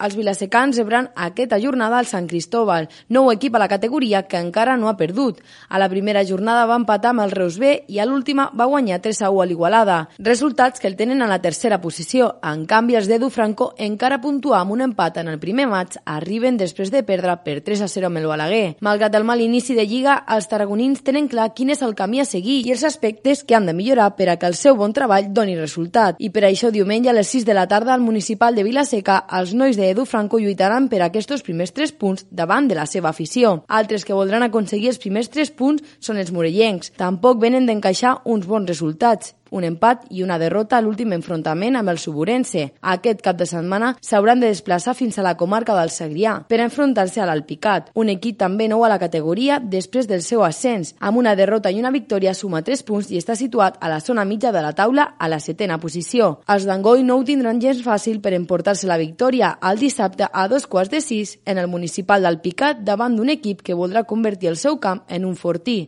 Els vilasecans rebran aquesta jornada al Sant Cristóbal, nou equip a la categoria que encara no ha perdut. A la primera jornada va empatar amb el Reus B i a l'última va guanyar 3-1 a l'Igualada. Resultats que el tenen a la tercera posició. En canvi, els d'Edu Franco, encara puntuar amb un empat en el primer maig, arriben després de perdre per 3-0 amb el Balaguer. Malgrat el mal inici de Lliga, els tarragonins tenen clar quin és el camí a seguir i els aspectes que han de millorar per a que el seu bon treball doni resultat. I per això diumenge a les 6 de la tarda al municipal de Vilaseca, els nois d'Edu Franco lluitaran per aquests primers 3 punts davant de la seva afició. Altres que voldran aconseguir els primers 3 punts són els morellencs. Tampoc venen d'encaixar uns bons resultats, un empat i una derrota a l'últim enfrontament amb el Suburense. Aquest cap de setmana s'hauran de desplaçar fins a la comarca del Segrià per enfrontar-se a l'Alpicat, un equip també nou a la categoria després del seu ascens. Amb una derrota i una victòria suma 3 punts i està situat a la zona mitja de la taula a la 7ª posició. Els d'Angoi no ho tindran gens fàcil per emportar-se la victòria el dissabte a 5:15 en el municipal d'Alpicat davant d'un equip que voldrà convertir el seu camp en un fortí.